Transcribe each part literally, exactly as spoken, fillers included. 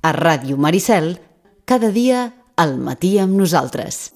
A Ràdio Maricel, cada dia al matí amb nosaltres.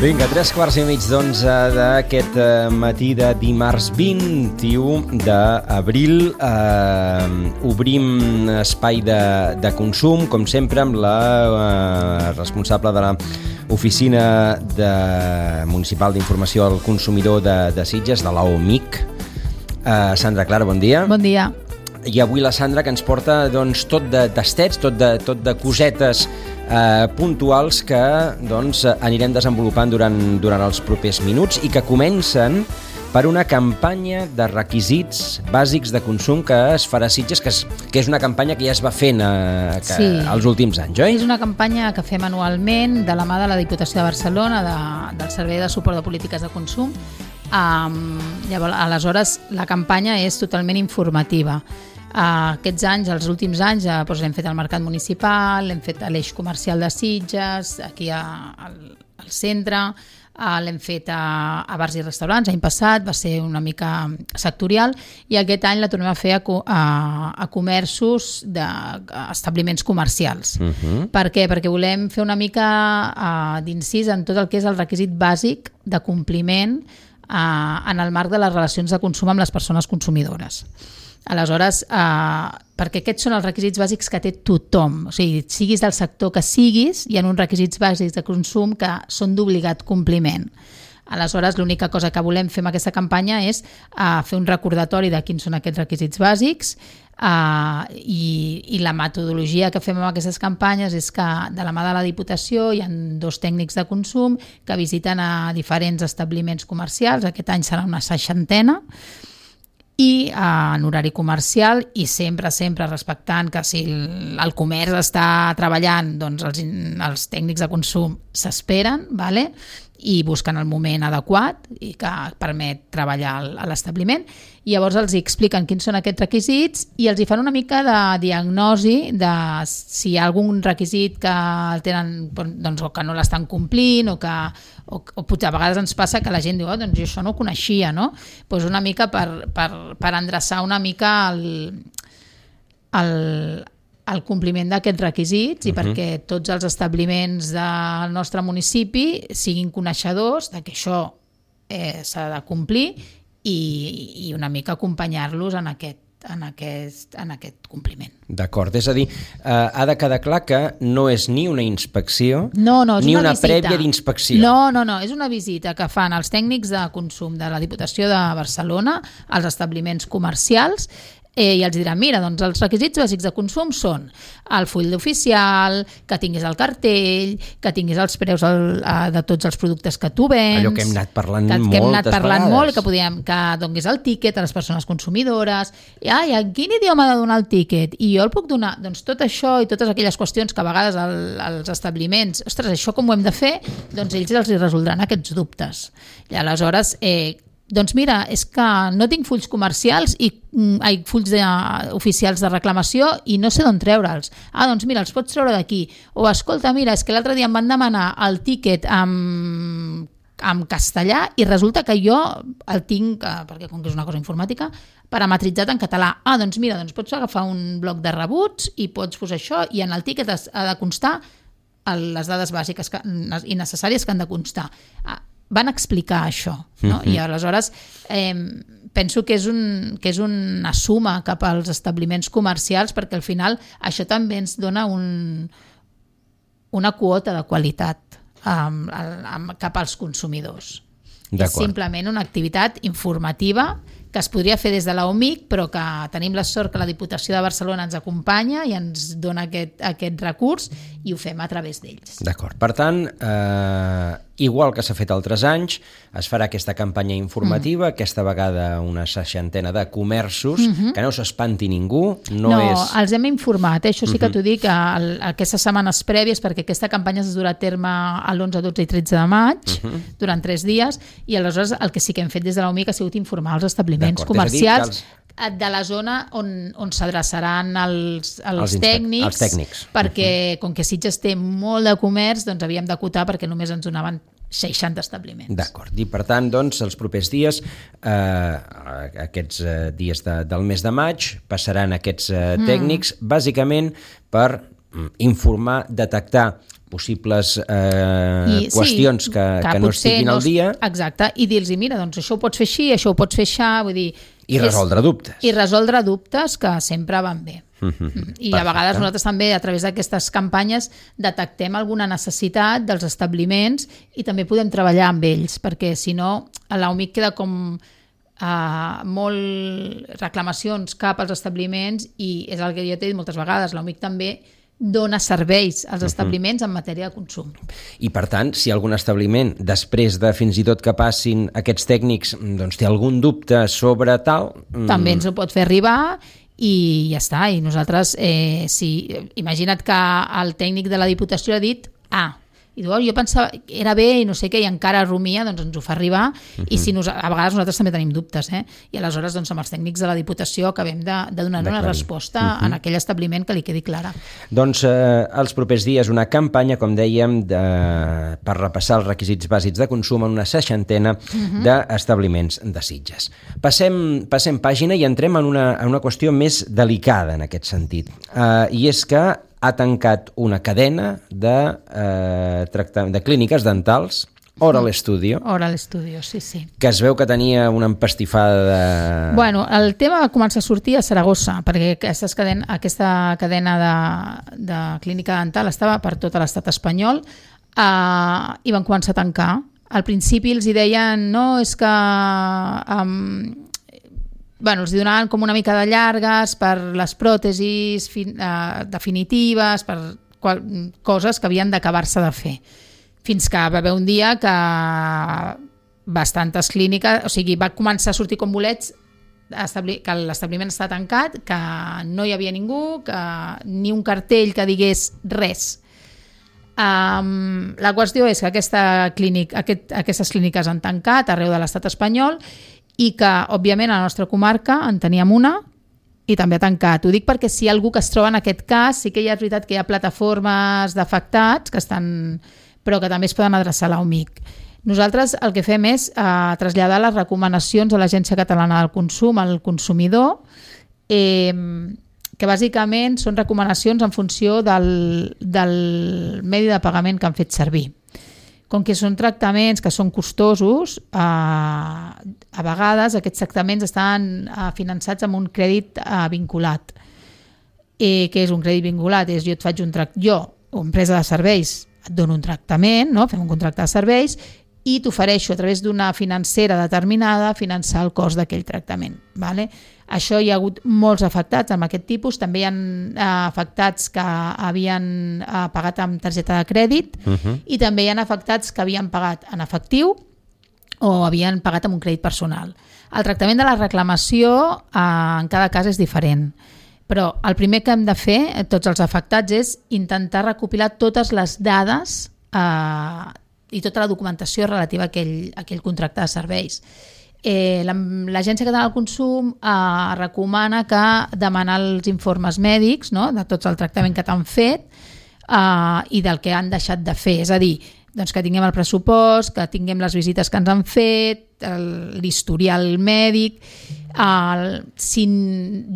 Vinga, tres quarts i mig d'onze d'aquest matí de dimarts vint-i-u d'abril. Eh, obrim espai de, de consum, com sempre, amb la eh, responsable de l'Oficina de Municipal d'Informació al Consumidor de, de Sitges, de l'O M I C. Eh, Sandra Clara, bon dia. Bon dia. I avui la Sandra, que ens porta doncs, tot de tastets, tot de, tot de cosetes eh, puntuals que doncs, anirem desenvolupant durant, durant els propers minuts i que comencen per una campanya de requisits bàsics de consum que es farà a Sitges, que és, que és una campanya que ja es va fent eh, que, sí. els últims anys, oi? És una campanya que fem anualment de la mà de la Diputació de Barcelona, de, del Servei de Suport de Polítiques de Consum. Um, llavors, aleshores, la campanya és totalment informativa. Uh, aquests anys, els últims anys, uh, doncs l'hem fet al Mercat Municipal, l'hem fet a l'Eix Comercial de Sitges, aquí a, al, al centre, uh, l'hem fet a, a bars i restaurants. L'any passat va ser una mica sectorial i aquest any la tornem a fer a, a, a comerços d'establiments comercials. Uh-huh. Per què? Perquè volem fer una mica uh, d'incís en tot el que és el requisit bàsic de compliment uh, en el marc de les relacions de consum amb les persones consumidores. Aleshores, eh, perquè aquests són els requisits bàsics que té tothom, o sigui, siguis del sector que siguis, hi ha uns requisits bàsics de consum que són d'obligat compliment. Aleshores, l'única cosa que volem fer amb aquesta campanya és eh, fer un recordatori de quins són aquests requisits bàsics eh, i, i la metodologia que fem amb aquestes campanyes és que de la mà de la Diputació hi ha dos tècnics de consum que visiten a diferents establiments comercials, aquest any serà una seixantena, i eh, en horari comercial i sempre, sempre respectant que si el, el comerç està treballant, doncs els, els tècnics de consum s'esperen, vale? I busquen el moment adequat i que permet treballar a l'establiment. I llavors els expliquen quins són aquests requisits i els hi fan una mica de diagnosi de si hi ha algun requisit que el tenen, doncs, o que no l'estan complint o que o, o potser a vegades ens passa que la gent diu oh, doncs jo això no ho coneixia, no? Pues una mica per, per, per endreçar una mica el, el, el compliment d'aquests requisits i uh-huh. perquè tots els establiments del nostre municipi siguin coneixedors de que això eh, s'ha de complir i, i una mica acompanyar-los en aquest En aquest, en aquest compliment. D'acord, és a dir, eh, ha de quedar clar que no és ni una inspecció no, no, ni una, una visita. prèvia d'inspecció. No, no, no, és una visita que fan els tècnics de consum de la Diputació de Barcelona als establiments comercials eh, i els diran, mira, doncs els requisits bàsics de consum són el full d'oficial, que tinguis el cartell, que tinguis els preus el, de tots els productes que tu vens. Allò que hem anat parlant que, moltes que hem anat parlant vegades. Molt, que, podíem, que donguis el tíquet a les persones consumidores. I, ai, en quin idioma ha de donar el tíquet? I jo el puc donar? Doncs tot això i totes aquelles qüestions que a vegades el, els establiments, ostres, això com ho hem de fer? Doncs ells els hi resoldran aquests dubtes. I aleshores, eh, doncs mira, és que no tinc fulls comercials i ai, fulls de, oficials de reclamació i no sé d'on treure'ls. Ah, doncs mira, els pots treure d'aquí. O escolta, mira, és que l'altre dia em van demanar el tíquet amb, amb castellà i resulta que jo el tinc, perquè com que és una cosa informàtica, parametritzat en català. Ah, doncs mira, doncs pots agafar un bloc de rebuts i pots posar això i en el tíquet ha de constar les dades bàsiques que, i necessàries que han de constar. Ah, van explicar això, no? Uh-huh. I aleshores eh, penso que és, un, que és una suma cap als establiments comercials perquè al final això també ens dona un, una quota de qualitat um, um, cap als consumidors. És simplement una activitat informativa que es podria fer des de la O M I C, però que tenim la sort que la Diputació de Barcelona ens acompanya i ens dona aquest, aquest recurs i ho fem a través d'ells. D'acord. Per tant, eh, igual que s'ha fet altres anys, es farà aquesta campanya informativa, mm. aquesta vegada una seixantena de comerços, mm-hmm. que no s'espanti ningú. No, no és... els hem informat, eh? Això sí que mm-hmm. t'ho dic, el, aquestes setmanes prèvies, perquè aquesta campanya es durà a terme l'onze, dotze i tretze de maig, mm-hmm. durant tres dies, i aleshores el que sí que hem fet des de la O M I C ha sigut informar els establiments comercials els... de la zona on, on s'adreçaran els, els, Els inspec- tècnics, els tècnics. perquè com que Sitges té molt de comerç, doncs havíem d'acotar perquè només ens donaven seixanta establiments. D'acord, i per tant, doncs, els propers dies, eh, aquests eh, dies de, del mes de maig, passaran aquests eh, tècnics, mm. bàsicament per mm, informar, detectar possibles eh, I, qüestions sí, que, que, que no estiguin al dia. No, exacte, i dir-los, mira, doncs això ho pots fer així, això ho pots fer així, vull dir... I resoldre és, dubtes. I resoldre dubtes que sempre van bé. Mm-hmm. I Perfecte. A vegades nosaltres també, a través d'aquestes campanyes, detectem alguna necessitat dels establiments i també podem treballar amb ells, perquè si no, a l'A U M I C queda com uh, molt reclamacions cap als establiments i és el que jo t'he dit moltes vegades, l'A U M I C també dona serveis als establiments uh-huh. en matèria de consum. I per tant, si algun establiment, després de fins i tot que passin aquests tècnics, doncs té algun dubte sobre tal... També ens ho pot fer arribar i ja està. I nosaltres, eh, si, imagina't que el tècnic de la Diputació ha dit ah, i diu, oh, jo pensava que era bé i no sé què, i encara rumia, doncs ens ho fa arribar, uh-huh. i si nos, a vegades nosaltres també tenim dubtes, eh? I aleshores doncs, amb els tècnics de la Diputació acabem de, de donar una resposta uh-huh. en aquell establiment que li quedi clara. Doncs eh, els propers dies una campanya, com dèiem, de, per repassar els requisits bàsics de consum en una seixantena uh-huh. d'establiments de Sitges. Passem, passem pàgina i entrem en una, en una qüestió més delicada en aquest sentit, eh, i és que ha tancat una cadena de, eh, tracta, de clíniques dentals, Oral Studio. Oral Studio, sí, sí. Que es veu que tenia una empastifada de... Bueno, el tema va començar a sortir a Saragossa, perquè cadena, aquesta cadena de, de clínica dental estava per tot l'estat espanyol eh, i van començar a tancar. Al principi els hi deien, no, és que... Um, bueno, els donaven com una mica de llargues per les pròtesis fin, eh, definitives, per qual, coses que havien d'acabar-se de fer. Fins que va haver un dia que bastantes clíniques, o sigui, va començar a sortir com bolets que l'establiment està tancat, que no hi havia ningú, que ni un cartell que digués res. Um, la qüestió és que aquesta clínica, aquest, aquestes clíniques han tancat arreu de l'estat espanyol i que, òbviament, a la nostra comarca en teníem una i també ha tancat. Ho dic perquè si hi ha algú que es troba en aquest cas, sí que hi ha veritat que hi ha plataformes d'afectats que estan, però que també es poden adreçar a l'A U M I C. Nosaltres el que fem és eh, traslladar les recomanacions a l'Agència Catalana del Consum, al consumidor, eh, que bàsicament són recomanacions en funció del, del medi de pagament que han fet servir. Com que són tractaments que són costosos, eh, a vegades aquests tractaments estan eh, finançats amb un crèdit eh, vinculat. Eh, què és un crèdit vinculat? És jo et faig un tractament, jo, empresa de serveis, et dono un tractament, no? Fem un contracte de serveis i t'ofereixo a través d'una financera determinada finançar el cost d'aquell tractament. Vale? Això hi ha hagut molts afectats amb aquest tipus, també hi ha eh, afectats que havien eh, pagat amb targeta de crèdit uh-huh. i també hi ha afectats que havien pagat en efectiu o havien pagat amb un crèdit personal. El tractament de la reclamació eh, en cada cas és diferent, però el primer que hem de fer, tots els afectats, és intentar recopilar totes les dades eh, i tota la documentació relativa a aquell, a aquell contracte de serveis. Eh, L'Agència Catalana del Consum eh, recomana que demanar els informes mèdics, no?, de tots el tractament que t'han fet eh, i del que han deixat de fer. És a dir, doncs que tinguem el pressupost, que tinguem les visites que ens han fet, l'historial mèdic. El, si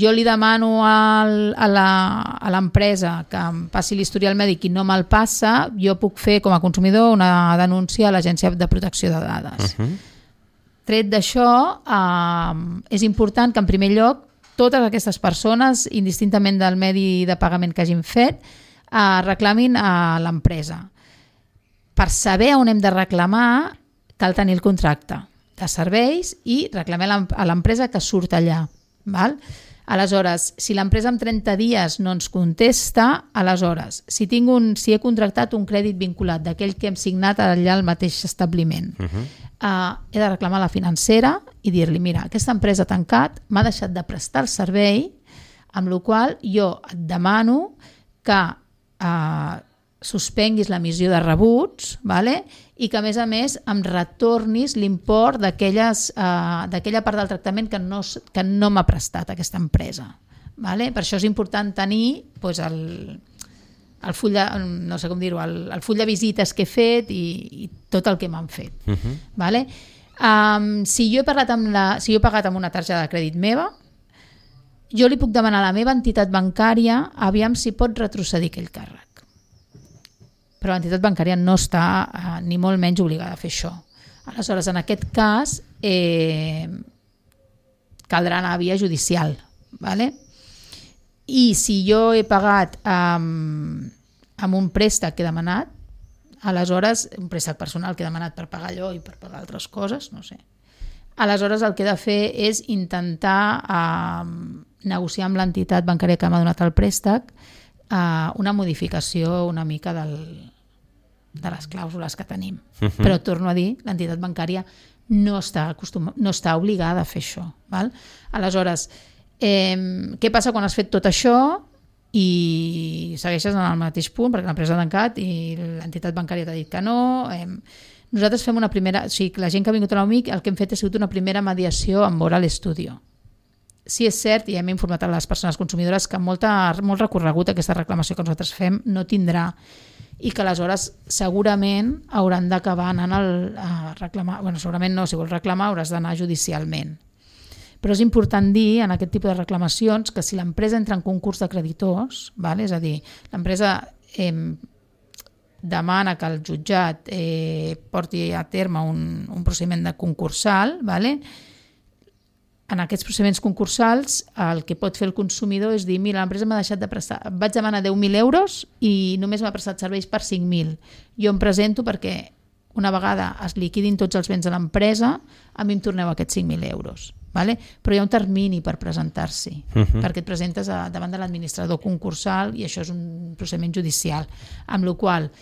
jo li demano al, a l'empresa que em passi l'historial mèdic i no me'l passa, jo puc fer com a consumidor una denúncia a l'Agència de Protecció de Dades. Uh-huh. Tret d'això, eh, és important que en primer lloc totes aquestes persones, indistintament del medi de pagament que hagin fet, eh, reclamin a l'empresa. Per saber on hem de reclamar, cal tenir el contracte de serveis i reclamar a l'empresa que surt allà. Val? Aleshores, si l'empresa en trenta dies no ens contesta, aleshores, si, tinc un, si he contractat un crèdit vinculat d'aquell que hem signat allà al mateix establiment, uh-huh. eh, he de reclamar a la financera i dir-li, mira, aquesta empresa ha tancat, m'ha deixat de prestar el servei, amb la qual jo et demano que eh, suspenguis l'emissió de rebuts, vale? I que a més a més em retornis l'import d'aquella part del tractament que no, que no m'ha prestat aquesta empresa. Vale? Per això és important tenir doncs, el, el, full de, no sé com dir-ho, el, el full de visites que he fet i, i tot el que m'han fet. Uh-huh. Vale? Um, si, jo he parlat amb la, si jo he pagat amb una targeta de crèdit meva, jo li puc demanar a la meva entitat bancària aviam si pot retrocedir aquell càrrec. Però l'entitat bancària no està eh, ni molt menys obligada a fer això. Aleshores, en aquest cas, eh, caldrà anar a via judicial. Vale? I si jo he pagat amb, amb un préstec que he demanat, aleshores, un préstec personal que he demanat per pagar allò i per pagar altres coses, no sé. Aleshores, el que he de fer és intentar eh, negociar amb l'entitat bancària que m'ha donat el préstec Uh, una modificació una mica del, de les clàusules que tenim. Uh-huh. Però torno a dir, l'entitat bancària no està, acostum... no està obligada a fer això. Val? Aleshores, eh, què passa quan has fet tot això i segueixes en el mateix punt perquè l'empresa ha tancat i l'entitat bancària t'ha dit que no? Eh, nosaltres fem una primera... O sigui, la gent que ha vingut a l'U M I C, el que hem fet ha sigut una primera mediació amb Oral Studio. Sí, és cert, i hem informat a les persones consumidores que molta, molt recorregut aquesta reclamació que nosaltres fem no tindrà i que aleshores segurament hauran d'acabar anant a reclamar, bueno, segurament no, si vols reclamar hauràs d'anar judicialment. Però és important dir en aquest tipus de reclamacions que si l'empresa entra en concurs de creditors, vale? És a dir, l'empresa eh, demana que el jutjat eh, porti a terme un, un procediment de concursal, vale? En aquests procediments concursals el que pot fer el consumidor és dir mira, l'empresa m'ha deixat de prestar, vaig demanar deu mil euros i només m'ha prestat serveis per cinc mil. Jo em presento perquè una vegada es liquidin tots els béns de l'empresa, a mi em torneu aquests cinc mil euros. Vale? Però hi ha un termini per presentar-s'hi, uh-huh. perquè et presentes a, davant de l'administrador concursal i això és un procediment judicial, amb la qual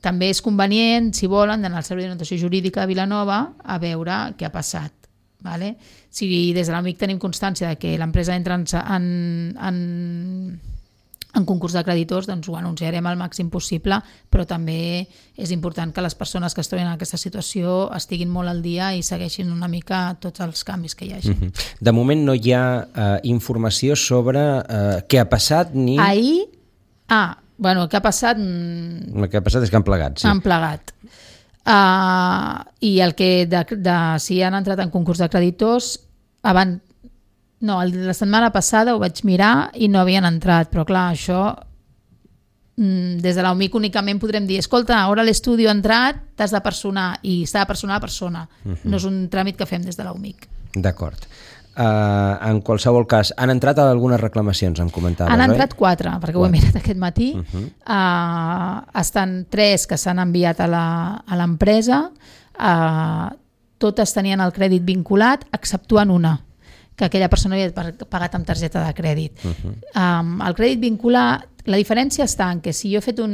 també és convenient, si volen, d'anar al Servei d'Orientació Jurídica de Vilanova a veure què ha passat. Vale? Si des de l'U M I C tenim constància de que l'empresa entra en, en, en, en concurs de creditors, doncs ho anunciarem al màxim possible, però també és important que les persones que es troben en aquesta situació estiguin molt al dia i segueixin una mica tots els canvis que hi hagi. Mm-hmm. De moment no hi ha uh, informació sobre uh, què ha passat ni... Ahir... Ah, bueno, el que ha passat... El que ha passat és que han plegat, sí. Han plegat. Uh, i el que de, de, si han entrat en concurs de creditors abans, no, la setmana passada ho vaig mirar i no havien entrat, però clar, això des de l'U M I C únicament podrem dir escolta, ara l'estudi ha entrat, t'has de personar i s'ha de personar a persona, uh-huh. no és un tràmit que fem des de l'U M I C. D'acord. Uh, en qualsevol cas, han entrat algunes reclamacions, em comentaves, Han oi? entrat quatre, perquè quatre. Ho he mirat aquest matí. Uh-huh. Uh, estan tres que s'han enviat a l'empresa, uh, totes tenien el crèdit vinculat, exceptuant una, que aquella persona havia pagat amb targeta de crèdit. Uh-huh. Um, el crèdit vinculat, la diferència està en que si jo he fet un...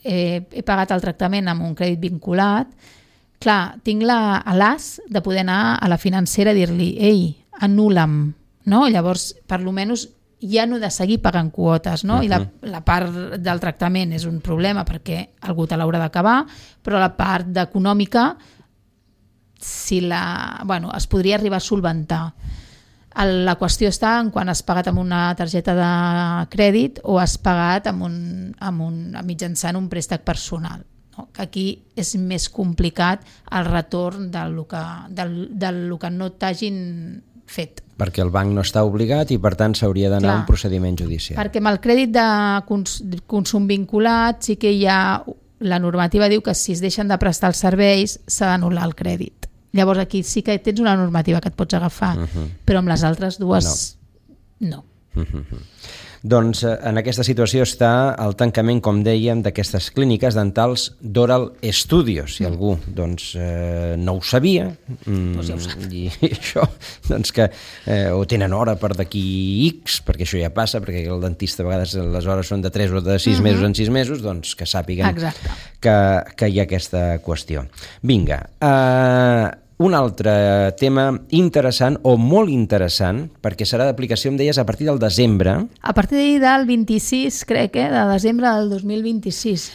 Eh, he pagat el tractament amb un crèdit vinculat, clar, tinc l'as de poder anar a la financera i dir-li ei, anul·la'm, no? Llavors, per lo menys, ja no he de seguir pagant quotes, no? Uh-huh. I la, la part del tractament és un problema perquè algú te l'haurà d'acabar, però la part econòmica si la, bueno, es podria arribar a solventar. La qüestió està en quan has pagat amb una targeta de crèdit o has pagat amb un, amb un, mitjançant un préstec personal. No? Que aquí és més complicat el retorn del que, del, del que no t'hagin fet. Perquè el banc no està obligat i per tant s'hauria d'anar a un procediment judicial. Perquè amb el crèdit de cons, consum vinculat sí que hi ha, la normativa diu que si es deixen de prestar els serveis s'ha d'anul·lar el crèdit. Llavors aquí sí que tens una normativa que et pots agafar, uh-huh. però amb les altres dues no. no. Uh-huh. Doncs en aquesta situació està el tancament, com dèiem, d'aquestes clíniques dentals d'Oral Studio. Si mm. algú doncs, eh, no ho sabia, mm, pues ja ho sap. I això, doncs que eh, o tenen hora per d'aquí X, perquè això ja passa, perquè el dentista a vegades les hores són de tres o de sis mm-hmm. mesos en sis mesos, doncs que sàpiguen que, que hi ha aquesta qüestió. Vinga, eh, un altre tema interessant, o molt interessant, perquè serà d'aplicació, em deies, a partir del desembre. A partir del vint-i-sis, crec, eh, de desembre del dos mil vint-i-sis.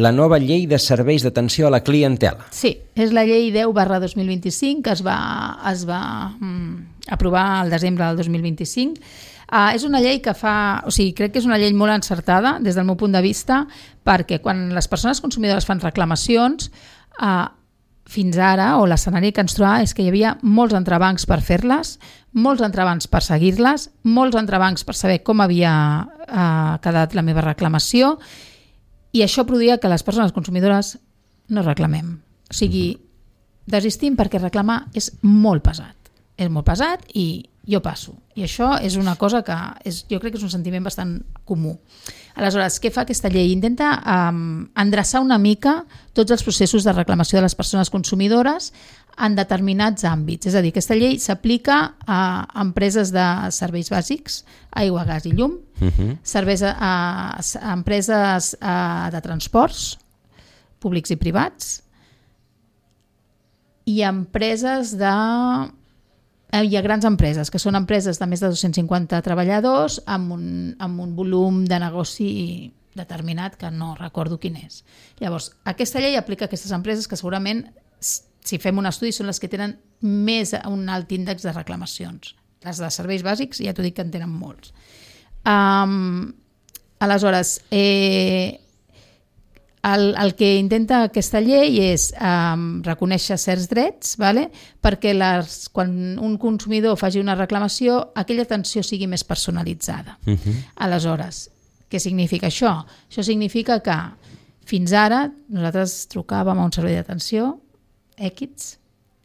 La nova llei de serveis d'atenció a la clientela. Sí, és la llei deu barra dos mil vint-i-cinc que es va, es va mm, aprovar al desembre del dos mil vint-i-cinc. Uh, és una llei que fa... O sigui, crec que és una llei molt encertada des del meu punt de vista, perquè quan les persones consumidores fan reclamacions, uh, fins ara, o l'escenari que ens trobava és que hi havia molts entrebancs per fer-les, molts entrebancs per seguir-les, molts entrebancs per saber com havia uh, quedat la meva reclamació, i això produïa que les persones consumidores no reclamem. O sigui, desistim perquè reclamar és molt pesat. És molt pesat i jo passo. I això és una cosa que és, jo crec que és un sentiment bastant comú. Aleshores, què fa aquesta llei? Intenta um, endreçar una mica tots els processos de reclamació de les persones consumidores en determinats àmbits. És a dir, aquesta llei s'aplica a empreses de serveis bàsics, aigua, gas i llum, uh-huh. serveis a, a, a empreses a, de transports públics i privats i a empreses de... Hi ha grans empreses, que són empreses de més de dos-cents cinquanta treballadors amb un, amb un volum de negoci determinat que no recordo quin és. Llavors, aquesta llei aplica a aquestes empreses que segurament, si fem un estudi, són les que tenen més un alt índex de reclamacions. Les de serveis bàsics ja t'ho dic que en tenen molts. Um, aleshores, eh, el, el que intenta aquesta llei és um, reconèixer certs drets, vale? Perquè les, quan un consumidor faci una reclamació, aquella atenció sigui més personalitzada. Uh-huh. Aleshores, què significa això? Això significa que fins ara nosaltres trucàvem a un servei d'atenció X,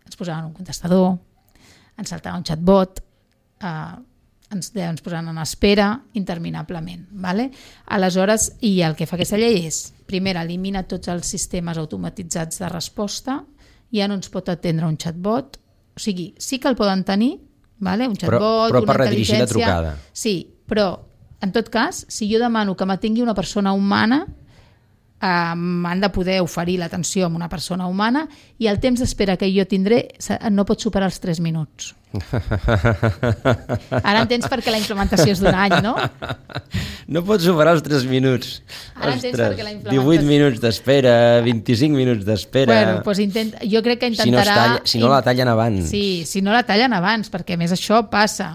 ens posaven un contestador, ens saltava un chatbot, eh, ens, ens posaven en espera interminablement. Vale? Aleshores, i el que fa aquesta llei és, primer, elimina tots els sistemes automatitzats de resposta, ja no ens pot atendre un chatbot, o sigui, sí que el poden tenir, vale? Un chatbot, però, però una per redirigir la trucada. Sí, però en tot cas, si jo demano que m'atengui una persona humana, Um, han de poder oferir l'atenció a una persona humana i el temps d'espera que jo tindré no pot superar els tres minuts. Ara entens perquè la implementació és d'un any, no? No pot superar els tres minuts. Ara entens perquè la implementació... divuit minuts d'espera, vint-i-cinc minuts d'espera... Bueno, doncs intenta... jo crec que intentarà... Si no, talla, si no la tallen abans. Sí, si no la tallen abans, perquè a més això passa.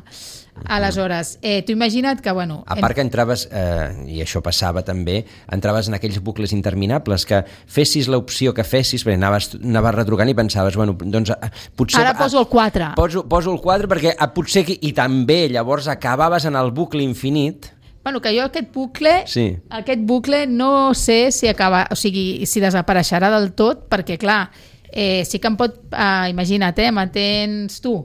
Aleshores, eh, tu imagina't que, bueno... A part que entraves, eh, i això passava també, entraves en aquells bucles interminables, que fessis l'opció que fessis, perquè anaves, anaves retrucant i pensaves, bueno, doncs potser... Ara poso el quatre. Poso, poso el quatre perquè potser... I també, llavors, acabaves en el bucle infinit... Bueno, que jo aquest bucle, sí. aquest bucle no sé si acaba, o sigui, si desapareixerà del tot, perquè, clar, eh, sí que em pot... Eh, imagina't, eh, m'atens tu...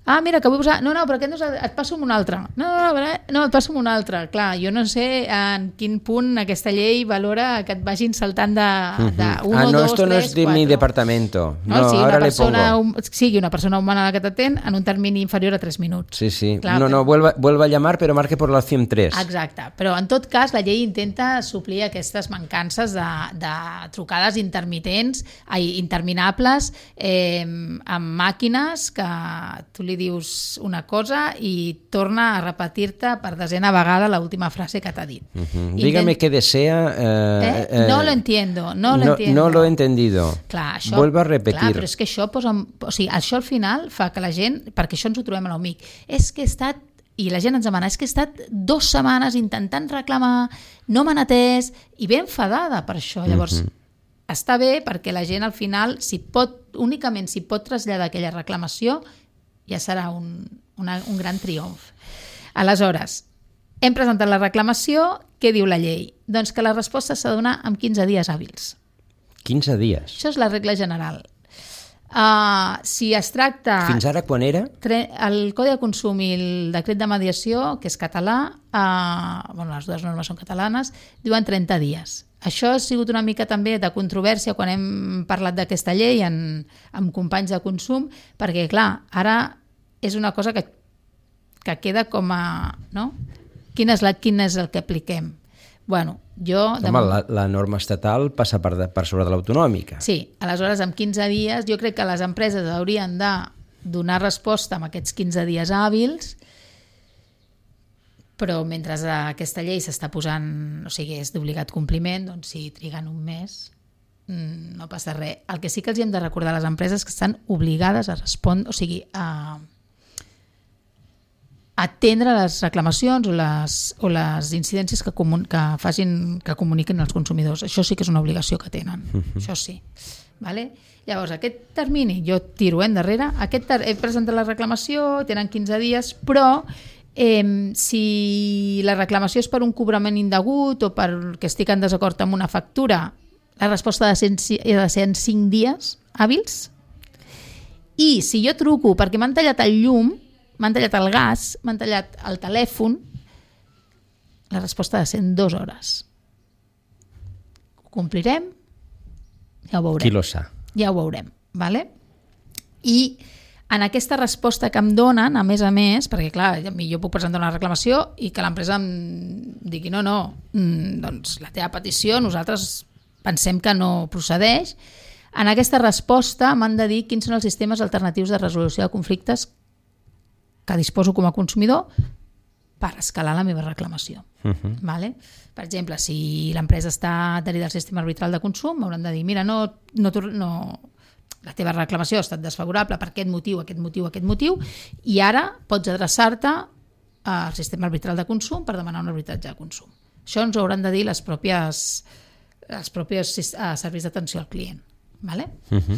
Ah, mira, que vull posar... No, no, però aquest no és... Et passo amb un altre. No, no, no, no, et passo amb un altre. Clar, jo no sé en quin punt aquesta llei valora que et vagin saltant de, de un, ah, o no, dos, esto tres, no es de quatre. mi departamento. No, No, sigui ahora una le pongo. persona, sigui una persona humana la que t'atén en un termini inferior a tres minuts. Sí, sí. Clar, no, però... no, vuelva, vuelva a llamar, però marque por la opción tres. Exacte. Però en tot cas la llei intenta suplir aquestes mancances de, de trucades intermitents, ai, interminables, eh, amb màquines que tu li dius una cosa i torna a repetir-te per desena vegada l'última frase que t'ha dit. Uh-huh. Dígame Intent... qué desea. Eh, eh? eh, no lo entiendo, no lo no, entiendo. No lo he entendido. Clar, això, Vuelvo a repetir. Clar, però és que això posa... O sigui, això al final fa que la gent... Perquè això ens ho trobem a l'U M I C. És que he estat... I la gent ens demana, és que he estat dues setmanes intentant reclamar, no m'han atès, i ben enfadada per això. Llavors, uh-huh. està bé perquè la gent al final, si pot, únicament si pot traslladar aquella reclamació, ja serà un, una, un gran triomf. Aleshores, hem presentat la reclamació, què diu la llei? Doncs que la resposta s'ha de donar en quinze dies hàbils. quinze dies? Això és la regla general. Uh, si es tracta... Fins ara quan era? Tre, el Codi de Consum i el Decret de Mediació, que és català, uh, bueno, les dues normes són catalanes, diuen trenta dies. Això ha sigut una mica també de controvèrsia quan hem parlat d'aquesta llei en, amb companys de consum, perquè, clar, ara és una cosa que, que queda com a... No? Quin és, la, quin és el que apliquem? Bueno, jo... Home, la, la norma estatal passa per, de, per sobre de l'autonòmica. Sí, aleshores, en quinze dies, jo crec que les empreses haurien de donar resposta en aquests quinze dies hàbils, però mentre aquesta llei s'està posant, o sigui, és d'obligat compliment, doncs si triguen un mes no passa res. El que sí que els hem de recordar a les empreses que estan obligades a respondre, o sigui, a atendre les reclamacions o les, o les incidències que, comun, que, facin, que comuniquin als consumidors. Això sí que és una obligació que tenen, uh-huh. Això sí. Vale? Llavors, aquest termini, jo tiro endarrere, aquest ter- he presentat la reclamació, tenen quinze dies, però eh, si la reclamació és per un cobrament indegut o perquè estic en desacord amb una factura, la resposta ha de ser, ha de ser en cinc dies hàbils. I si jo truco perquè m'han tallat el llum, m'han tallat el gas, m'han tallat el telèfon, la resposta ha de ser en dues hores. Ho complirem? Ja ho veurem. Qui lo sa? Ja ho veurem. Vale? I en aquesta resposta que em donen, a més a més, perquè clar, jo puc presentar una reclamació i que l'empresa em digui no, no, doncs la teva petició nosaltres pensem que no procedeix. En aquesta resposta m'han de dir quins són els sistemes alternatius de resolució de conflictes que disposo com a consumidor per escalar la meva reclamació. Uh-huh. Vale? Per exemple, si l'empresa està adherida al sistema arbitral de consum, m'hauran de dir, mira, no, no, no, la teva reclamació ha estat desfavorable per aquest motiu, aquest motiu, aquest motiu, i ara pots adreçar-te al sistema arbitral de consum per demanar un arbitratge de consum. Això ens ho hauran de dir les pròpies, els propis serveis d'atenció al client. Vale? Uh-huh.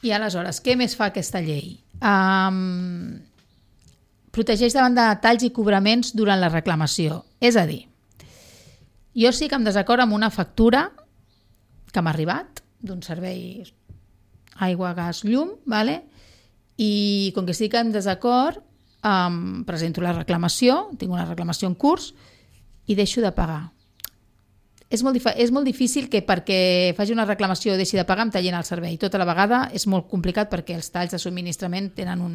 I aleshores, què més fa aquesta llei? Um, protegeix davant de talls i cobraments durant la reclamació. És a dir, jo sí que em desacord amb una factura que m'ha arribat d'un servei aigua, gas, llum, vale? I com que sí que em desacord, um, presento la reclamació, tinc una reclamació en curs i deixo de pagar. És molt, dif- és molt difícil que perquè faci una reclamació o deixi de pagar em tallin el servei. Tota la vegada és molt complicat perquè els talls de subministrament tenen un,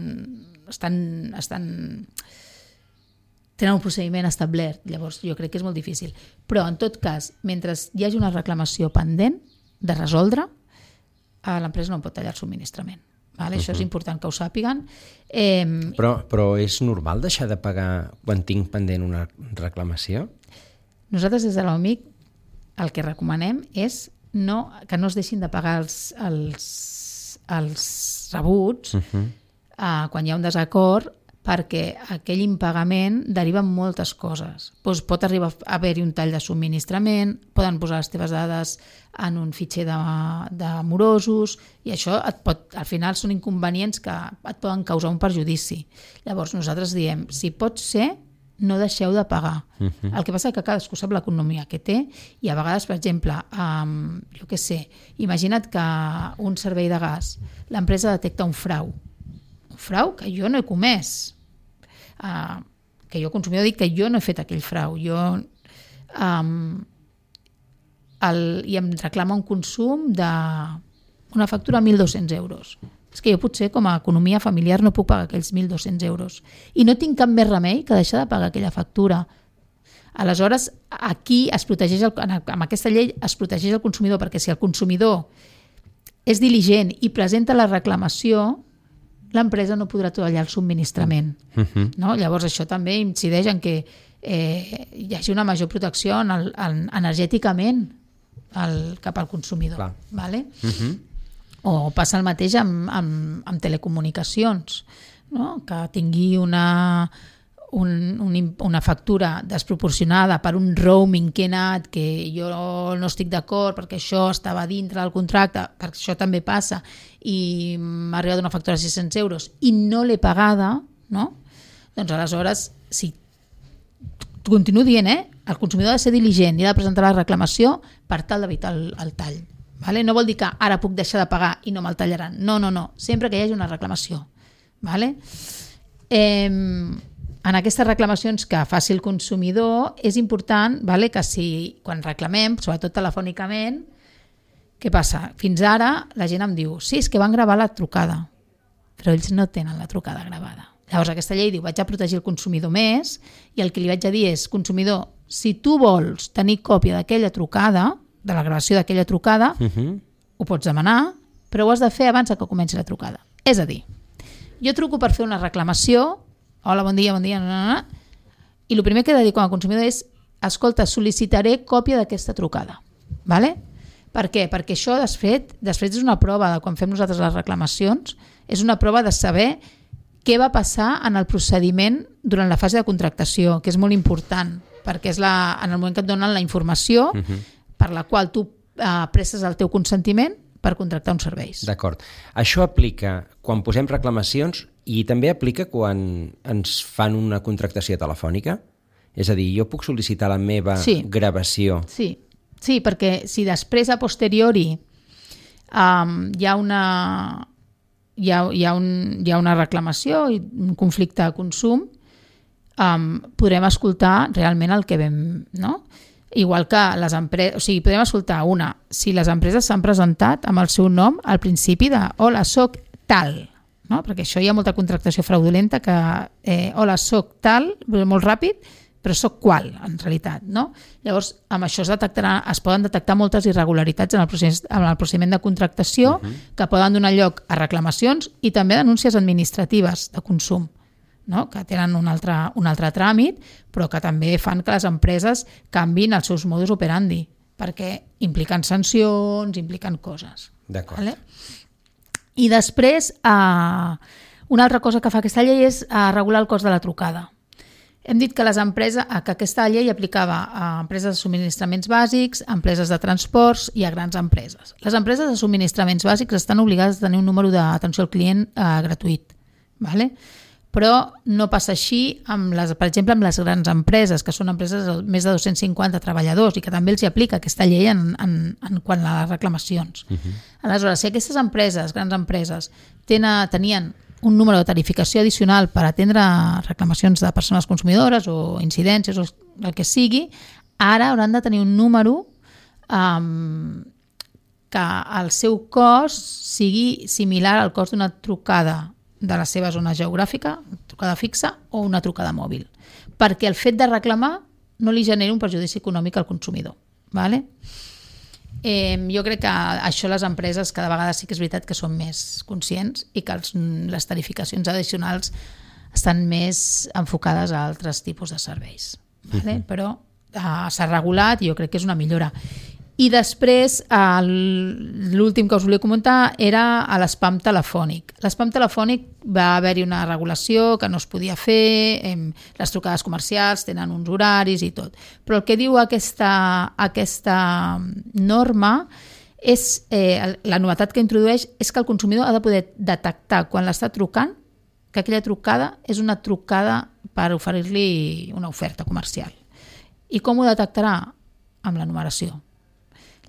estan, estan, tenen un procediment establert. Llavors jo crec que és molt difícil. Però en tot cas, mentre hi hagi una reclamació pendent de resoldre, l'empresa no pot tallar el subministrament. Vale? Uh-huh. Això és important que ho sàpiguen. Eh, però, però és normal deixar de pagar quan tinc pendent una reclamació? Nosaltres des de l'O M I C el que recomanem és no, que no es deixin de pagar els, els, els rebuts uh-huh. uh, quan hi ha un desacord, perquè aquell impagament deriva en moltes coses. Pues pot arribar a haver-hi un tall de subministrament, poden posar les teves dades en un fitxer de, de morosos, i això et pot, al final són inconvenients que et poden causar un perjudici. Llavors nosaltres diem, si pot ser, no deixeu de pagar. Uh-huh. El que passa és que cadascú sap l'economia que té i a vegades, per exemple, um, jo què sé, imagina't que un servei de gas, l'empresa detecta un frau. Un frau que jo no he comès. Uh, que jo, consumidor, dic que jo no he fet aquell frau. Jo, um, el, i em reclama un consum d'una factura de mil dos-cents euros. És que jo potser com a economia familiar no puc pagar aquells mil dos-cents euros i no tinc cap més remei que deixar de pagar aquella factura. Aleshores, aquí es protegeix el, amb aquesta llei es protegeix el consumidor, perquè si el consumidor és diligent i presenta la reclamació, l'empresa no podrà tallar el subministrament. Uh-huh. No? Llavors això també incideix en que eh, hi hagi una major protecció en el, en, energèticament el, cap al consumidor. Clar. Vale? Uh-huh. O passa el mateix amb, amb, amb telecomunicacions, no? Que tingui una, un, un, una factura desproporcionada per un roaming que he anat, que jo no estic d'acord perquè això estava dintre del contracte, perquè això també passa, i m'ha arribat una factura de sis-cents euros i no l'he pagada, no? Doncs aleshores, si continuo dient, eh? El consumidor ha de ser diligent i ha de presentar la reclamació per tal d'evitar el, el tall. Vale? No vol dir que ara puc deixar de pagar i no me'l tallaran. No, no, no. Sempre que hi hagi una reclamació. Vale? Eh, en aquestes reclamacions que faci el consumidor és important, vale, que si quan reclamem, sobretot telefònicament, què passa? Fins ara la gent em diu sí, és que van gravar la trucada, però ells no tenen la trucada gravada. Llavors aquesta llei diu vaig a protegir el consumidor més i el que li vaig a dir és consumidor, Si tu vols tenir còpia d'aquella trucada, de la gravació d'aquella trucada, uh-huh. ho pots demanar, però ho has de fer abans que comenci la trucada. És a dir, jo truco per fer una reclamació, hola, bon dia, bon dia, no, no, no, i el primer que he de dir com a consumidor és, escolta, sol·licitaré còpia d'aquesta trucada. Vale? Per què? Perquè això després, després és una prova de quan fem nosaltres les reclamacions, és una prova de saber què va passar en el procediment durant la fase de contractació, que és molt important, perquè és la, en el moment que et donen la informació uh-huh. per la qual tu eh, prestes el teu consentiment per contractar uns serveis. D'acord. Això aplica quan posem reclamacions i també aplica quan ens fan una contractació telefònica? És a dir, jo puc sol·licitar la meva sí. gravació? Sí. sí, perquè si després a posteriori um, hi ha una... Hi ha, hi, ha un, hi ha una reclamació i un conflicte de consum, um, podrem escoltar realment el que vam, no? Igual que les empreses, o sigui, podem escoltar una, si les empreses s'han presentat amb el seu nom al principi de hola, soc tal, no? Perquè això hi ha molta contractació fraudulenta que eh, hola, soc tal, molt ràpid, però soc qual, en realitat, no? Llavors, amb això es, detectarà, es poden detectar moltes irregularitats en el procés, en el procediment de contractació uh-huh. que poden donar lloc a reclamacions i també denúncies administratives de consum, no? Que tenen un altre, un altre tràmit, però que també fan que les empreses canvin els seus modus operandi, perquè impliquen sancions, impliquen coses. D'acord. Vale? I després, eh, una altra cosa que fa aquesta llei és eh, regular el cost de la trucada. Hem dit que les empreses, que aquesta llei aplicava a empreses de subministraments bàsics, a empreses de transports i a grans empreses. Les empreses de subministraments bàsics estan obligades a tenir un número d'atenció al client eh, gratuït, vale? Però no passa així, amb les, per exemple, amb les grans empreses, que són empreses de més de dos-cents cinquanta treballadors i que també els hi aplica aquesta llei en, en, en quant a les reclamacions. Uh-huh. Aleshores, si aquestes empreses, grans empreses, tenen, tenien un número de tarificació addicional per atendre reclamacions de persones consumidores o incidències o el que sigui, ara hauran de tenir un número um, que el seu cost sigui similar al cost d'una trucada de la seva zona geogràfica, trucada fixa o una trucada mòbil, perquè el fet de reclamar no li generi un perjudici econòmic al consumidor. Vale? Eh, jo crec que això les empreses cada vegada sí que és veritat que són més conscients i que els, les tarificacions addicionals estan més enfocades a altres tipus de serveis. Vale? Uh-huh. Però uh, s'ha regulat i jo crec que és una millora. I després, uh, l'últim que us volia comentar era a l'espam telefònic. L'espam telefònic va haver-hi una regulació que no es podia fer, eh, les trucades comercials tenen uns horaris i tot. Però el que diu aquesta, aquesta norma és, eh, la novetat que introdueix és que el consumidor ha de poder detectar quan l'està trucant que aquella trucada és una trucada per oferir-li una oferta comercial. I com ho detectarà? Amb la numeració.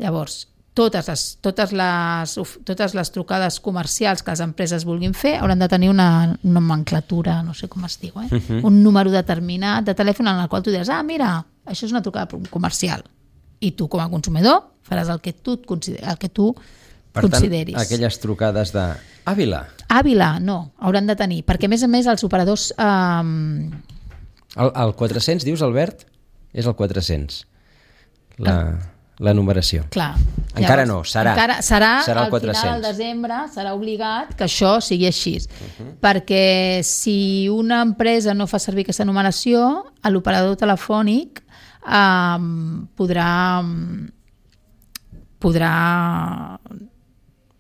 Llavors, totes les, totes, les, totes les trucades comercials que les empreses vulguin fer hauran de tenir una nomenclatura, no sé com es diu, eh? Uh-huh. Un número determinat de telèfon en el qual tu diràs, ah, mira, això és una trucada comercial. I tu, com a consumidor, faràs el que tu, el que tu per consideris. Per tant, aquelles trucades de Àvila. Àvila, no, hauran de tenir, perquè a més a més els operadors... Eh... El, el quatre-cents, dius, Albert? És el quatre-cents. La... El... La numeració. Clar. Encara no, serà. Encara serà, serà al final del desembre, serà obligat que això sigui així. Uh-huh. Perquè si una empresa no fa servir aquesta numeració, l'operador telefònic eh, podrà podrà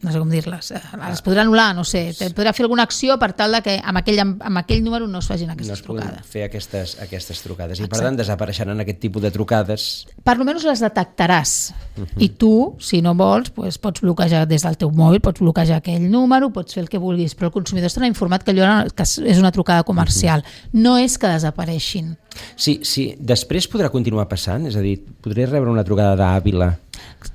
no sé com dir-les, les podrà anul·lar, no sé, podrà fer alguna acció per tal de que amb aquell, amb aquell número no es facin aquestes no es trucades. fer aquestes, aquestes trucades. I Exacte. Per tant desapareixeran aquest tipus de trucades. Per almenys les detectaràs. Uh-huh. I tu, si no vols, doncs pots bloquejar des del teu mòbil, pots bloquejar aquell número, pots fer el que vulguis, però el consumidor estarà informat que allò que és una trucada comercial. Uh-huh. No és que desapareixin. Sí, sí, després podrà continuar passant? És a dir, podré rebre una trucada d'Àvila?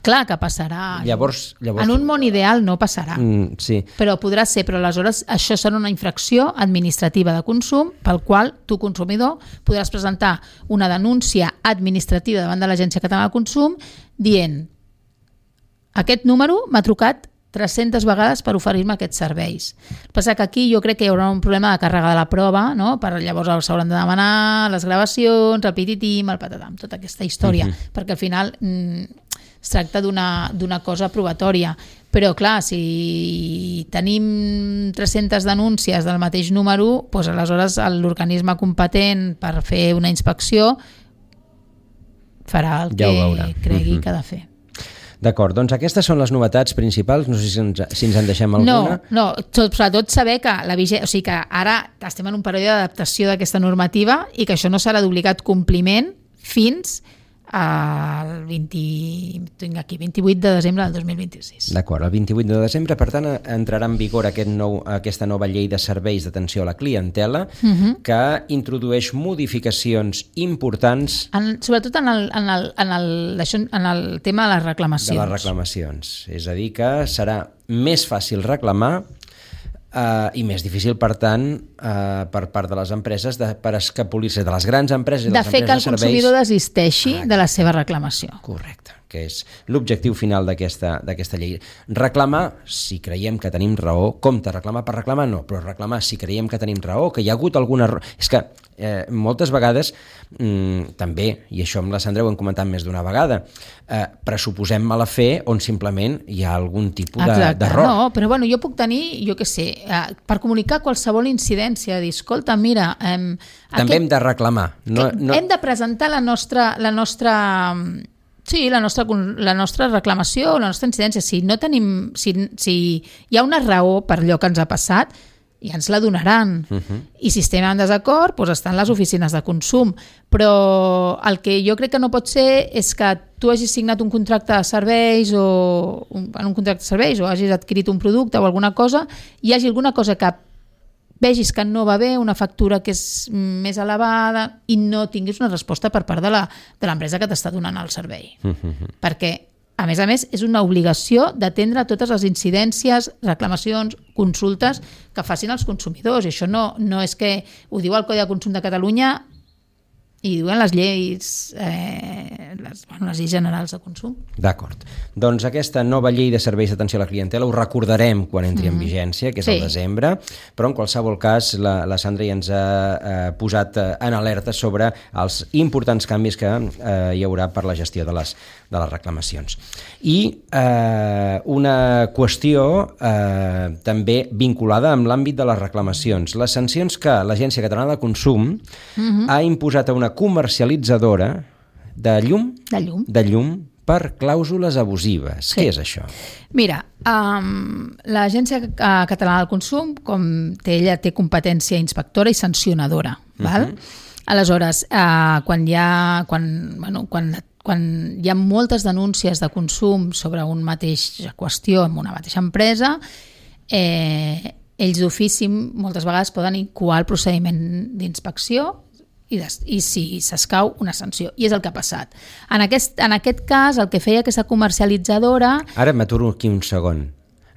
Clar que passarà. Llavors, llavors... En un món ideal no passarà. Mm, sí. Però podrà ser, però aleshores això serà una infracció administrativa de consum pel qual tu, consumidor, podràs presentar una denúncia administrativa davant de l'Agència Catalana de Consum dient aquest número m'ha trucat tres-centes vegades per oferir-me aquests serveis. El que passa que aquí jo crec que hi haurà un problema de càrrega de la prova, no? Per llavors s'hauran de demanar les gravacions, el pititim, el patatam, tota aquesta història, uh-huh. perquè al final mm, es tracta d'una d'una cosa probatòria. Però clar, si tenim tres-centes denúncies del mateix número, doncs aleshores l'organisme competent per fer una inspecció farà el ja que cregui uh-huh. que ha de fer. D'acord, doncs aquestes són les novetats principals, no sé si ens, si ens en deixem alguna. No, no, sobretot saber que la vigència, o sigui que ara estem en un període d'adaptació d'aquesta normativa i que això no serà d'obligat compliment fins el vint, tinc aquí, vint-i-vuit de desembre del dos mil vint-i-sis. D'acord, el vint-i-vuit de desembre, per tant, entrarà en vigor aquest nou, aquesta nova llei de serveis d'atenció a la clientela uh-huh. que introdueix modificacions importants... En, sobretot en el, en, el, en, el, en el tema de les reclamacions. De les reclamacions. És a dir, que serà més fàcil reclamar Uh, i més difícil, per tant, uh, per part de les empreses de, per escapolir-se de les grans empreses i de les fer empreses que el de serveis... consumidor desisteixi ah, de la seva reclamació. Correcte, que és l'objectiu final d'aquesta d'aquesta llei. Reclamar si creiem que tenim raó, compte, reclamar per reclamar no, però reclamar si creiem que tenim raó, que hi ha hagut alguna raó... És que eh, moltes vegades, mm, també, i això amb la Sandra ho hem comentat més d'una vegada, eh, pressuposem mala fe on simplement hi ha algun tipus d'error. No, però bueno, jo puc tenir, jo què sé, eh, per comunicar qualsevol incidència, dir, escolta, mira... Eh, també aquest, hem de reclamar. No, no... Hem de presentar la nostra... La nostra Sí, la nostra, la nostra reclamació, la nostra incidència. Si no tenim, si, si hi ha una raó per allò que ens ha passat, ja ens la donaran. Uh-huh. I si estem en desacord, doncs estan les oficines de consum. Però el que jo crec que no pot ser és que tu hagis signat un contracte de serveis o un, en un contracte de serveis o hagis adquirit un producte o alguna cosa i hi hagi alguna cosa que vegis que no va bé, una factura que és més elevada i no tinguis una resposta per part de l'empresa que t'està donant el servei. Uh-huh. Perquè, a més a més, és una obligació d'atendre totes les incidències, reclamacions, consultes que facin els consumidors. I això no, no és que ho diu el Codi de Consum de Catalunya i diuen les lleis, eh, les, bueno, les lleis generals de consum. D'acord. Doncs aquesta nova llei de serveis d'atenció a la clientela ho recordarem quan entri mm-hmm. en vigència, que és sí. el desembre, però en qualsevol cas la, la Sandra ja ens ha eh, posat en alerta sobre els importants canvis que eh, hi haurà per la gestió de les, de les reclamacions. I eh, una qüestió eh, també vinculada amb l'àmbit de les reclamacions. Les sancions que l'Agència Catalana de Consum mm-hmm. ha imposat a una comercialitzadora de llum, de llum, de llum per clàusules abusives. Sí. Què és això? Mira, um, l'Agència Catalana del Consum, com té, ella té competència inspectora i sancionadora. Uh-huh. Val? Aleshores, uh, quan hi ha... Quan, bueno, quan, quan hi ha moltes denúncies de consum sobre una mateixa qüestió en una mateixa empresa, eh, ells d'ofici moltes vegades poden incoar el procediment d'inspecció i, des, i si s'escau una sanció, i és el que ha passat. En aquest, en aquest cas, el que feia aquesta comercialitzadora... Ara m'aturo aquí un segon.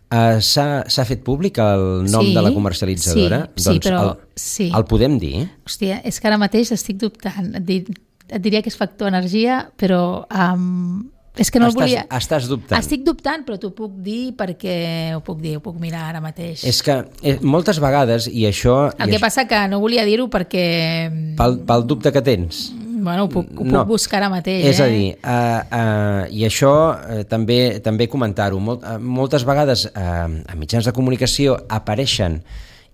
Uh, s'ha fet públic el nom sí, de la comercialitzadora? Sí, doncs sí, però... El, sí. el podem dir? Hòstia, és que ara mateix estic dubtant. Et, dir, et diria que és Factor Energia, però... Um, és que no estàs, el volia... Estàs dubtant. Estic dubtant, però t'ho puc dir perquè ho puc dir, ho puc mirar ara mateix. És que eh, moltes vegades, i això... El i que això, passa que no volia dir-ho perquè... Pel, pel dubte que tens. Bueno, ho puc, ho no. puc buscar ara mateix. És eh? a dir, uh, uh, i això uh, també també comentar-ho, Molt, uh, moltes vegades uh, a mitjans de comunicació apareixen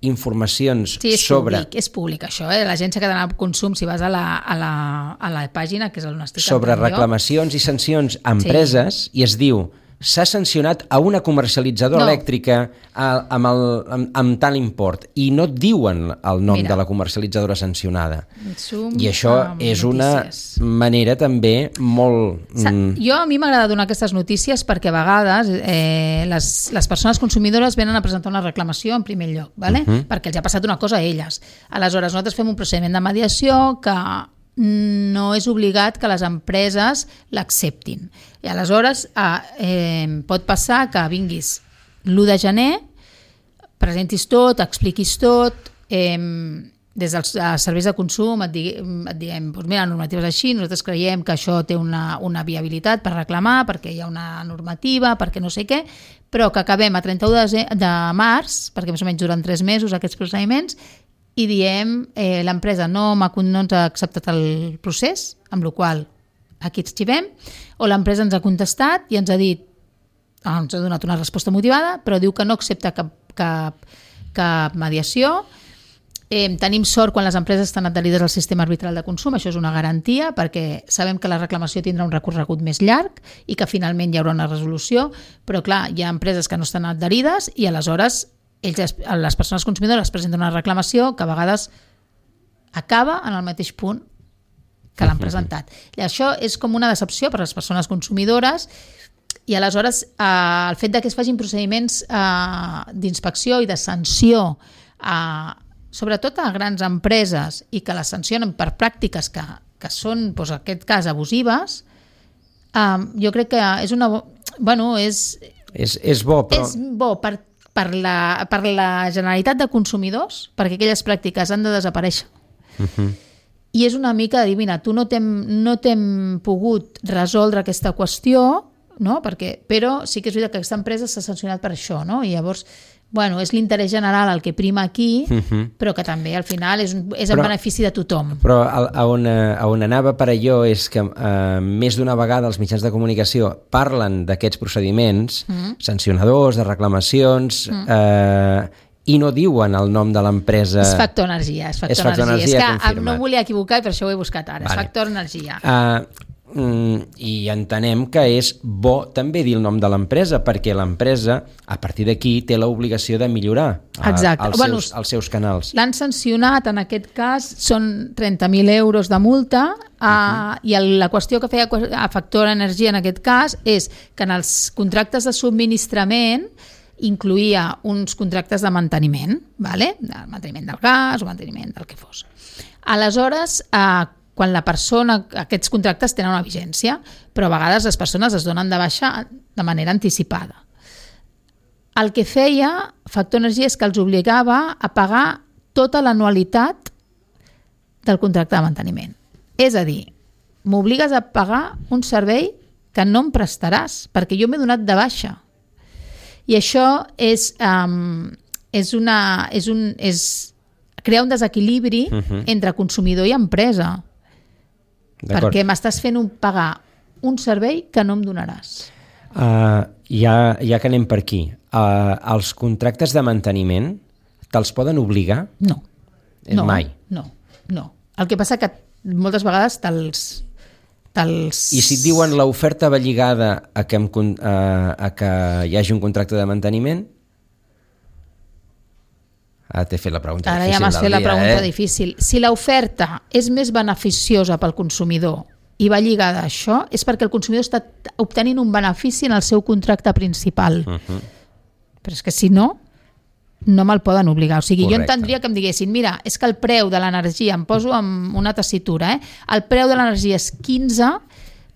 informacions sí, és sobre... Públic, és públic això, eh? L'Agència Catalana de Consum, si vas a la, a la, a la pàgina, que és on estic sobre reclamacions i sancions a empreses, sí. I es diu s'ha sancionat a una comercialitzadora no. elèctrica a, amb, el, amb, amb tal import, i no et diuen el nom Mira. de la comercialitzadora sancionada. Zoom, I això és notícies. Una manera també molt... Mm... Jo a mi m'agrada donar aquestes notícies perquè a vegades eh, les, les persones consumidores venen a presentar una reclamació en primer lloc, ¿vale? Uh-huh. Perquè els ha passat una cosa a elles. Aleshores, nosaltres fem un procediment de mediació que no és obligat que les empreses l'acceptin. I aleshores eh, eh, pot passar que vinguis l'u de gener, presentis tot, expliquis tot, eh, des dels serveis de consum et, digui, et diguem, doncs mira, la normativa és així, nosaltres creiem que això té una, una viabilitat per reclamar, perquè hi ha una normativa, perquè no sé què, però que acabem a trenta-u de, de març, perquè més o menys duren tres mesos aquests procediments, i diem eh, l'empresa no, no ens ha acceptat el procés, amb la qual aquí ens xivem, o l'empresa ens ha contestat i ens ha dit, ah, ens ha donat una resposta motivada, però diu que no accepta cap, cap, cap mediació. Eh, tenim sort quan les empreses estan adherides al sistema arbitral de consum, això és una garantia, perquè sabem que la reclamació tindrà un recorregut més llarg i que finalment hi haurà una resolució, però clar, hi ha empreses que no estan adherides i aleshores ells, les persones consumidores presenten una reclamació que a vegades acaba en el mateix punt que l'han presentat. I això és com una decepció per a les persones consumidores i aleshores eh, el fet de que es facin procediments eh, d'inspecció i de sanció a sobretot a grans empreses i que les sancionen per pràctiques que, que són, doncs, en aquest cas, abusives, um, jo crec que és una... Bueno, és... És, és bo, però... És bo per, per, la, per la generalitat de consumidors, perquè aquelles pràctiques han de desaparèixer. Uh-huh. I és una mica de dir, mira, tu no t'hem no t'hem pogut resoldre aquesta qüestió, no? Perquè, però sí que és veritat que aquesta empresa s'ha sancionat per això, no? I llavors... Bueno, és l'interès general el que prima aquí, uh-huh. però que també al final és, és en però, benefici de tothom. Però a, a, on, a on anava per allò és que eh, més d'una vegada els mitjans de comunicació parlen d'aquests procediments uh-huh. sancionadors, de reclamacions, uh-huh. eh, i no diuen el nom de l'empresa. És Factor Energia. És Factor, és Factor Energia. Energia, és que confirmat. no volia equivocar i per això ho he buscat ara. Vale. És Factor Energia. Uh, i entenem que és bo també dir el nom de l'empresa perquè l'empresa a partir d'aquí té l'obligació de millorar a, els, bueno, seus, els seus canals. L'han sancionat, en aquest cas són trenta mil euros de multa uh, uh-huh. i el, la qüestió que feia a Factor Energia en aquest cas és que en els contractes de subministrament incluïa uns contractes de manteniment, vale? El manteniment del gas o manteniment del que fos. Aleshores, eh, quan la persona, aquests contractes tenen una vigència, però a vegades les persones es donen de baixa de manera anticipada. El que feia Factor Energia és que els obligava a pagar tota l'anualitat del contracte de manteniment. És a dir, m'obligues a pagar un servei que no em prestaràs, perquè jo m'he donat de baixa. I això és, um, és una, és un, és crear un desequilibri uh-huh. entre consumidor i empresa. Perquè m'estàs fent un, pagar un servei que no em donaràs. Uh, ja, ja que anem per aquí, uh, els contractes de manteniment te'ls poden obligar? No. no Mai? No, no. El que passa que moltes vegades te'ls... te'ls... I si et diuen l'oferta va lligada a que, em, a, a que hi hagi un contracte de manteniment? Ara t'he fet la pregunta Ara difícil ja m'has fet la dia, pregunta eh? difícil. Si l'oferta és més beneficiosa pel consumidor i va lligada a això, és perquè el consumidor està obtenint un benefici en el seu contracte principal. Uh-huh. Però és que si no, no me'l poden obligar. O sigui, Correcte. Jo entendria que em diguessin, mira, és que el preu de l'energia, em poso amb una tessitura, eh? El preu de l'energia és quinze,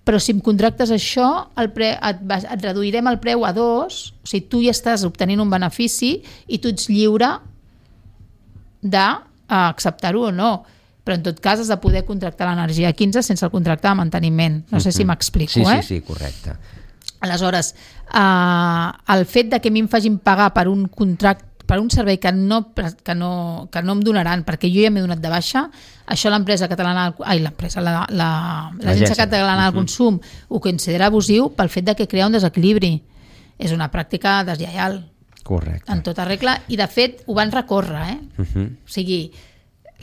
però si em contractes això, el pre, et, et reduirem el preu a dos, o sigui, tu ja estàs obtenint un benefici i tu ets lliure d'acceptar-ho o no, però en tot cas has de poder contractar l'energia a quinze sense el contracte de manteniment. No sé si m'explico, sí, eh? Sí, sí, correcte. Aleshores, eh, el fet de que a mi em facin pagar per un contracte, per un servei que no, que no, que no em donaran perquè jo ja m'he donat de baixa, això l'empresa catalana, ai, l'empresa, la, la, l'Agència Catalana del Consum ho considera abusiu pel fet de que crea un desequilibri. És una pràctica deslleial. Correcte. En tota regla, i de fet ho van recórrer, eh? Uh-huh. O sigui,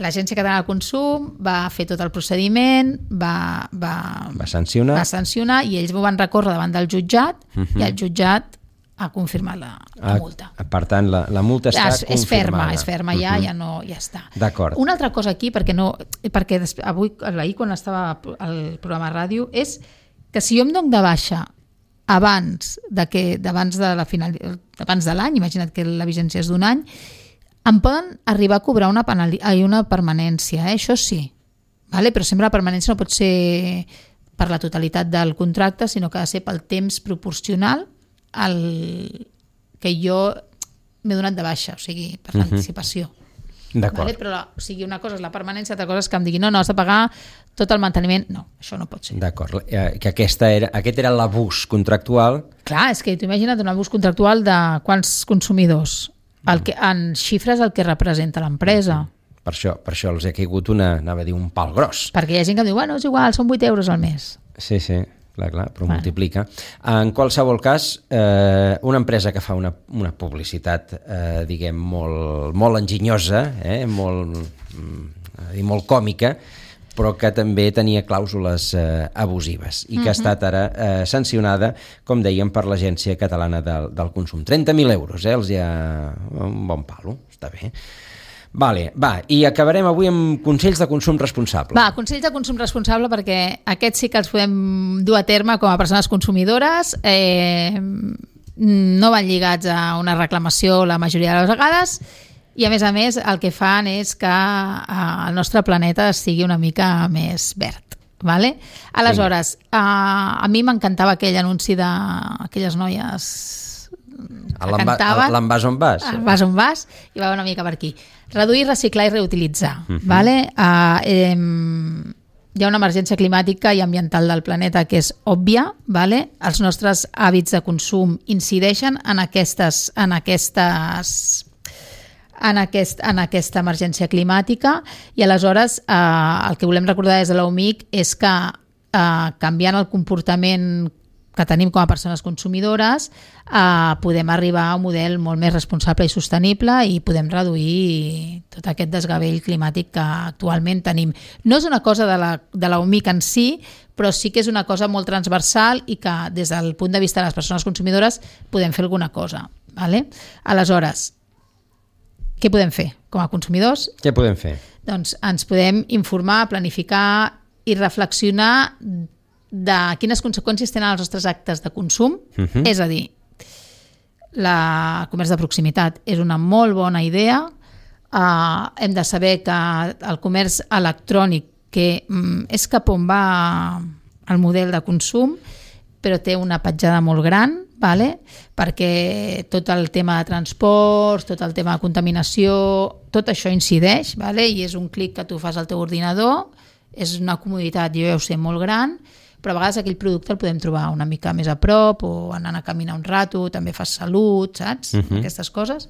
l'Agència Catalana del Consum va fer tot el procediment, va, va, va, sancionar. va sancionar i ells ho van recórrer davant del jutjat uh-huh. i el jutjat ha confirmat la, la multa. Ah, per tant, la, la multa està és, confirmada. És ferma, és ferma ja, uh-huh. ja, no, ja està. D'acord. Una altra cosa aquí, perquè, no, perquè avui, ahir quan estava al programa ràdio, és que si jo em dono de baixa abans de que d'abans de la final abans de l'any, imagina't que la vigència és d'un any, em poden arribar a cobrar una, penali, una permanència, eh? Això sí, vale? Però sempre la permanència no pot ser per la totalitat del contracte, sinó que ha de ser pel temps proporcional al que jo m'he donat de baixa, o sigui, per l'anticipació. D'acord. Vale? Però la, o sigui, una cosa és la permanència, altra cosa és que em digui no, no, has de pagar tot el manteniment. No, això no pot ser. D'acord, eh, que aquesta era, aquest era l'abús contractual. Clar, és que tu imagina't un abús contractual de quants consumidors, el que, en xifres el que representa l'empresa. Per això, per això els ha caigut una, anava a dir, un pal gros. Perquè hi ha gent que diu, bueno, és igual, són vuit euros al mes. Sí, sí, clar, clar, però Bueno. multiplica. En qualsevol cas, eh, una empresa que fa una, una publicitat, eh, diguem, molt, molt enginyosa, eh, molt, mm, i molt còmica, però que també tenia clàusules eh, abusives i que uh-huh. ha estat ara eh, sancionada, com dèiem, per l'Agència Catalana del, del Consum. trenta mil euros, eh, els hi ha un bon palo, està bé. Vale, va, i acabarem avui amb consells de consum responsable. Va, consells de consum responsable, perquè aquests sí que els podem dur a terme com a persones consumidores. Eh, no van lligats a una reclamació la majoria de les vegades i, a més a més, el que fan és que el nostre planeta sigui una mica més verd. Vale? Aleshores, a, a mi m'encantava aquell anunci d'aquelles noies que cantaven. L'envàs on vas? Vas on vas, i va una mica per aquí. Reduir, reciclar i reutilitzar. Uh-huh. Vale? Uh, eh, hi ha una emergència climàtica i ambiental del planeta que és òbvia. Vale? Els nostres hàbits de consum incideixen en aquestes, en aquestes en, aquest, en aquesta emergència climàtica i aleshores eh, el que volem recordar des de l'O M I C és que eh, canviant el comportament que tenim com a persones consumidores eh, podem arribar a un model molt més responsable i sostenible i podem reduir tot aquest desgavell climàtic que actualment tenim. No és una cosa de la, de la O M I C en si, però sí que és una cosa molt transversal i que des del punt de vista de les persones consumidores podem fer alguna cosa. Vale? Aleshores, què podem fer com a consumidors? Què podem fer? Doncs ens podem informar, planificar i reflexionar de quines conseqüències tenen els nostres actes de consum. Uh-huh. És a dir, la comerç de proximitat és una molt bona idea. Uh, hem de saber que el comerç electrònic, que um, és cap on va el model de consum, però té una petjada molt gran, vale? Perquè tot el tema de transports, tot el tema de contaminació, tot això incideix, vale? I és un clic que tu fas al teu ordinador, és una comoditat, jo ja ho sé, molt gran, però a vegades aquell producte el podem trobar una mica més a prop o anant a caminar un rato, també fas salut, saps? Uh-huh. Aquestes coses.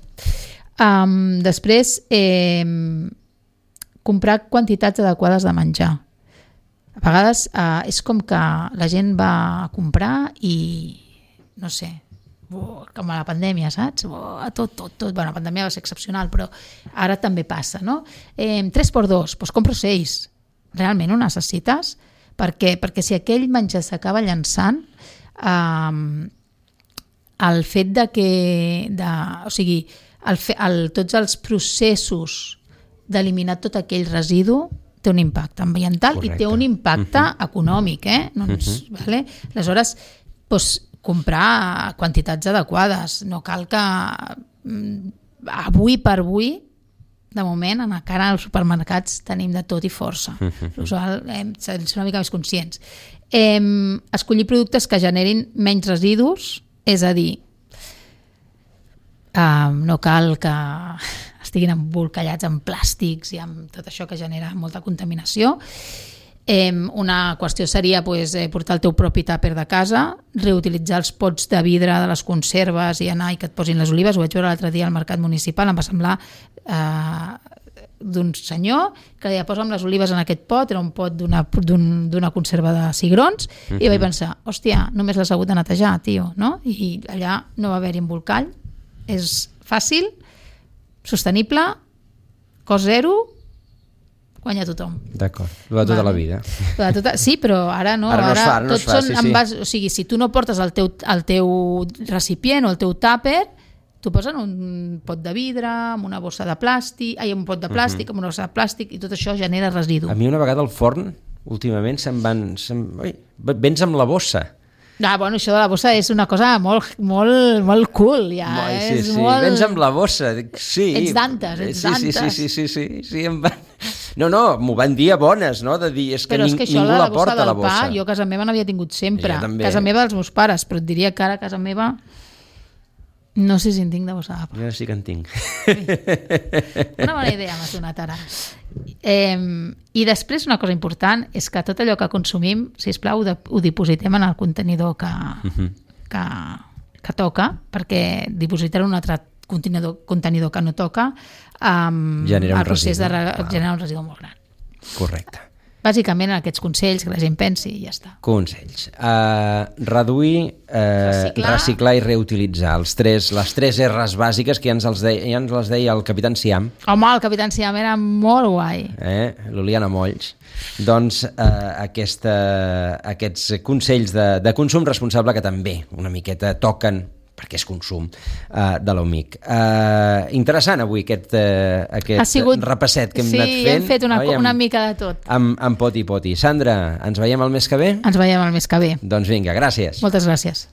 Um, després, eh, comprar quantitats adequades de menjar. A vegades eh, és com que la gent va a comprar i, no sé, oh, com a la pandèmia, saps? Oh, tot, tot, tot. Bueno, la pandèmia va ser excepcional, però ara també passa, no? Eh, tres per dos, doncs compro seis. Realment ho necessites? Per què? Perquè si aquell menjar s'acaba llançant, eh, el fet de que... De, o sigui, el fe, el, tots els processos d'eliminar tot aquell residu té un impacte ambiental. Correcte. I té un impacte uh-huh. econòmic. Eh? Doncs, uh-huh. vale? Aleshores, doncs, comprar quantitats adequades. No cal que avui per avui, de moment, encara als supermercats tenim de tot i força. L'usual hem de ser una mica més conscients. Eh, escollir productes que generin menys residus, és a dir, eh, no cal que estiguin embolcallats en plàstics i amb tot això que genera molta contaminació. Eh, una qüestió seria pues, eh, portar el teu propi tàper de casa, reutilitzar els pots de vidre de les conserves i anar i que et posin les olives. Ho vaig veure l'altre dia al mercat municipal, em va semblar eh, d'un senyor que deia, posa'm les olives en aquest pot, era un pot d'una, d'un, d'una conserva de cigrons, uh-huh. i vaig pensar, hòstia, només l'has hagut de netejar, tio, no? I allà no va haver-hi embolcall, és fàcil, sostenible, cost zero, guanya tothom. D'acord, lo de tota vale. La vida. De tota, sí, però ara no. Ara no ara es fa, ara no es fa, són sí, sí. Base, o sigui, si tu no portes el teu, el teu recipient o el teu tàper, t'ho posen un pot de vidre, amb una bossa de plàstic, ai, un pot de plàstic, uh-huh. amb una bossa de plàstic, i tot això genera residu. A mi una vegada al forn, últimament, se'n van... Se'n, oi, vens amb la bossa. Ah, bueno, això de la bossa és una cosa molt, molt, molt cool, ja. Moi, sí, és sí, molt... vens amb la bossa. Sí. Ets d'antes, ets sí, d'antes. Sí, sí, sí, sí, sí, sí, em van... No, no, m'ho van dir a bones, no? De dir, és que, però ning, és que això, ningú la, la porta, del la bossa. Pa, jo a casa meva n'havia tingut sempre. Ja, casa meva dels meus pares, però et diria que ara a casa meva... No sé si en tinc de bossa d'apa. Jo sí que en tinc. Una bona idea m'has donat ara. Eh, I després una cosa important és que tot allò que consumim, sisplau, ho, de, ho dipositem en el contenidor que, uh-huh. que, que toca, perquè dipositar un altre contenidor, contenidor que no toca um, genera un el procés residu. de re, genera un residu molt gran. Correcte. Bàsicament aquests consells que la gent pensi i ja està. Consells. Uh, reduir, uh, reciclar. reciclar i reutilitzar. Els tres, les tres R's bàsiques que ja ens, els deia, ja ens les deia el Capitán Siam. Home, el Capitán Siam era molt guai. Eh? L'Oliana Molls. Doncs uh, aquesta, aquests consells de, de consum responsable que també una miqueta toquen perquè és consum, uh, de l'Omic. Uh, interessant avui aquest, uh, aquest sigut... repasset que hem sí, anat fent. Sí, hem fet una, una mica de tot. Amb, amb poti poti. Sandra, ens veiem el mes que ve? Ens veiem el mes que ve. Doncs vinga, gràcies. Moltes gràcies.